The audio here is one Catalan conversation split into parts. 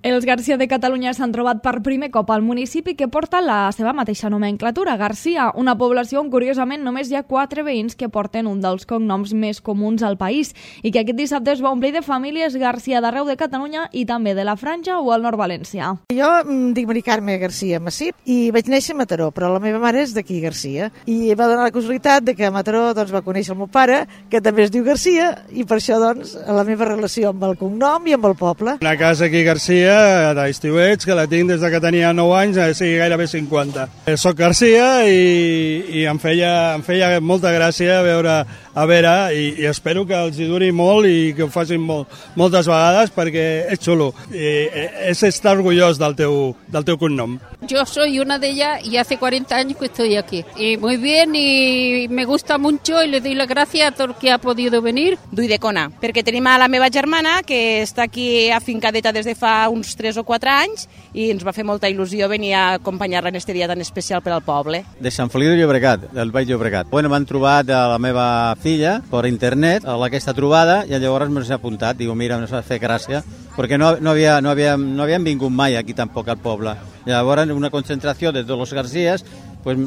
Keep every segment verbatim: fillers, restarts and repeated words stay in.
Els Garcia de Catalunya s'han trobat per primer cop al municipi que porta la seva mateixa nomenclatura, Garcia, una població on curiosament només hi ha quatre veïns que porten un dels cognoms més comuns al país i que aquest dissabte es va omplir de famílies Garcia d'arreu de Catalunya i també de la Franja o el nord valencià. Jo em dic Mari Carme Garcia Massip i vaig néixer a Mataró, però la meva mare és d'aquí, Garcia, i va donar la casualitat de que a Mataró doncs, va conèixer el meu pare, que també es diu Garcia, i per això doncs, la meva relació amb el cognom i amb el poble. Una casa aquí Garcia, d'estiuets, que la tinc des que tenia nou anys, a sigui gairebé cinquanta. Soc Garcia i, i em, feia, em feia molta gràcia veure a Vera i, i espero que els hi duri molt i que ho facin molt, moltes vegades perquè és xulo. I, és estar orgullós del teu, del teu cognom. Yo soy una de ellas y hace cuarenta años que estoy aquí. Y muy bien y me gusta mucho y le doy las gracias a todo el que ha podido venir. D'Uidecona, perquè tenim a la meva germana que està aquí afincadeta des de fa uns tres o quatre anys i ens va fer molta il·lusió venir a acompanyar-la en este dia tan especial per al poble. De Sant Feliu de Llobregat, del Baix Llobregat. Bueno, m'han trobat a la meva filla per internet a aquesta trobada i llavors m'he apuntat. Digo, mira, ens va fer gràcia perquè no, no, havia, no, havia, no havien vingut mai aquí tampoc al poble. Llavors una concentració de tots els Garcies pues,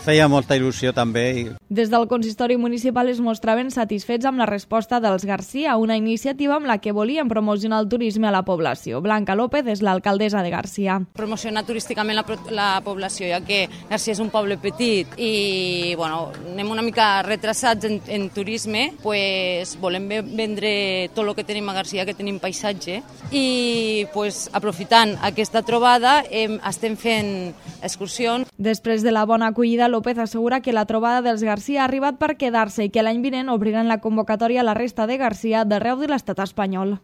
feia molta il·lusió també. Des del consistori municipal es mostraven satisfets amb la resposta dels Garcia, una iniciativa amb la que volien promocionar el turisme a la població. Blanca López és l'alcaldessa de Garcia. Promocionar turísticament la, la població, ja que Garcia és un poble petit i bueno, anem una mica retrasats en, en turisme, pues, volem vendre tot el que tenim a Garcia, que tenim paisatge, i pues, aprofitant aquesta trobada hem, estem fent excursions. Després de la bona acollida, López assegura que la trobada dels Garcia ha arribat per quedar-se i que l'any vinent obriran la convocatòria a la resta de Garcia d'arreu de l'estat espanyol.